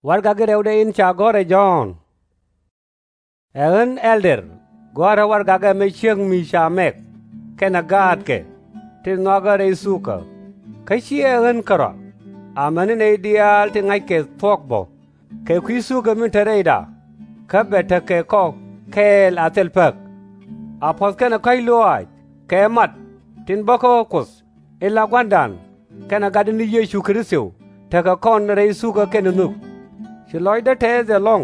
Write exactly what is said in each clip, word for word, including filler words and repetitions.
Warɛgak in rɛwdɛ in ca gɔ̱r ɛ Jɔ̱ɔ̱n. Ɛ ɣän ɛldɛr, gɔ̱a̱rä warɛgak ɛmɛ ciek mi ca mɛk kɛnɛ gaatkɛ tin nhɔakä rɛy thukä. Kä /ciɛ ɣän kärɔa, amäni nɛy diaal tin ŋa̱ckɛ thuɔ̱k bä kɛ kui̱ thukä min te rɛyda, kä bɛ tekɛ kɔ kɛɛl a thil päk. A puɔ̱th kɛnɛ kɔ̱a̱c lɔaac kɛ mat tin bä kä Kuoth in la Gua̱a̱ra kɛnɛ Gatdɛ ni Yecu Kritho tekɛ kɔn rɛy thukä kɛnɛ nhök. Ci lɔcdä tɛɛth ɛlɔ̱ŋ,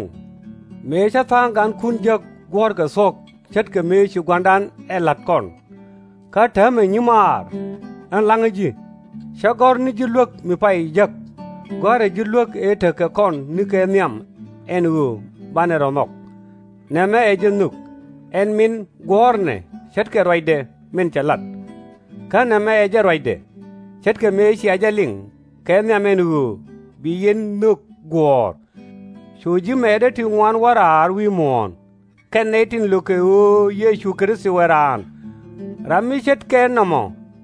mëë cä tha̱a̱ŋ gankun jek guɔ̱ɔ̱rkɛ thuɔ̱k ce̱tkɛ mëë ci Gua̱a̱ra ɛ la̱t kɔn. Kä täämɛ, nyimaar, ɣän la̱ŋä ji̱, /cä gɔ̱r ni ji̱ luek mi pay jek, gɔ̱a̱rä ji̱ luek ëë tekɛ kɔn nikɛ nhiam ɛn ɣöö banɛ rɔ̱ nhɔk. Nɛmɛ ɛ jɛ nhök, ɛn min guɔ̱ɔ̱rnɛ ce̱tkɛ ruacdɛ min cɛ lat. Kä nɛmɛ ɛ jɛ ruacdɛ, ce̱tkɛ mëë cia jɛ liŋ kɛ nhiam ɛn ɣöö bi yɛn nhök guɔ̱ɔ̱r. Cu ji̱ mɛɛtdä ti ŋuan wä raar wi̱i̱ muɔ̱ɔ̱n, kɛn nɛy tin lökɛ ɣöö Yecu Kritho ɛ raan. Ram mi ce̱tkɛ nɔmɔ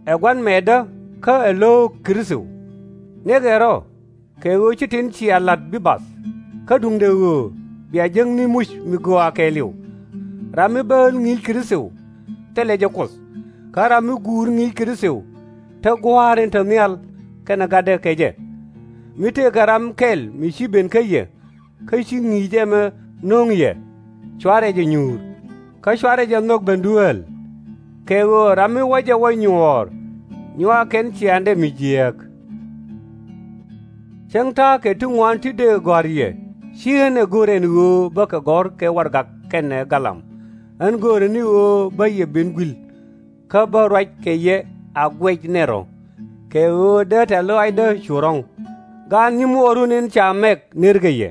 ɛ gua̱n mɛɛtdä kä ɛ lo̱o̱k Kritho. Niɛkɛ rɔ̱, kɛ ɣöö /ci tin cia la̱t bi bath, kä duundɛ ɣöö bia jek ni muc mi gɔaa kɛɛliw. Ram mi bääl ŋi̱i̱c Kritho, thilɛ jɛ Kuoth. Kä ram mi guur ŋi̱i̱c Kritho, te Gua̱a̱r in te nhial kɛnɛ Gatdɛ kɛ jɛ. Mi tëëkɛ ram kɛl mi ci ben kä yɛ, kä ci ŋi̱i̱c ɛmɛ no̱o̱ŋ yɛ, /cuarɛ jɛ nyuur, kä /cuarɛ jɛ nhɔk ben dueel. Kɛ ɣöö ram mi wä jɛ wä nyuɔ̱ɔ̱r, nyuak kɛn ciaaŋdɛ mi jiääk. Cäŋ ta̱a̱ kɛ ti ŋuan ti dëë gɔ̱a̱r yɛ, /ci ɣän ɛ go̱r ɛn ɣöö bä kɛ gɔ̱r kɛ warɛgak kɛnɛ galam. Ɣän göörä ni ɣöö bä yɛ ben gui̱l, kä bä ruac kɛ yɛ a guɛc nɛ rɔ̱, kɛ ɣöö dee tɛ̈th lɔaacdä cu ro̱ŋ. Gaat nyimuɔɔrun in ca mɛk nërkɛ yɛ.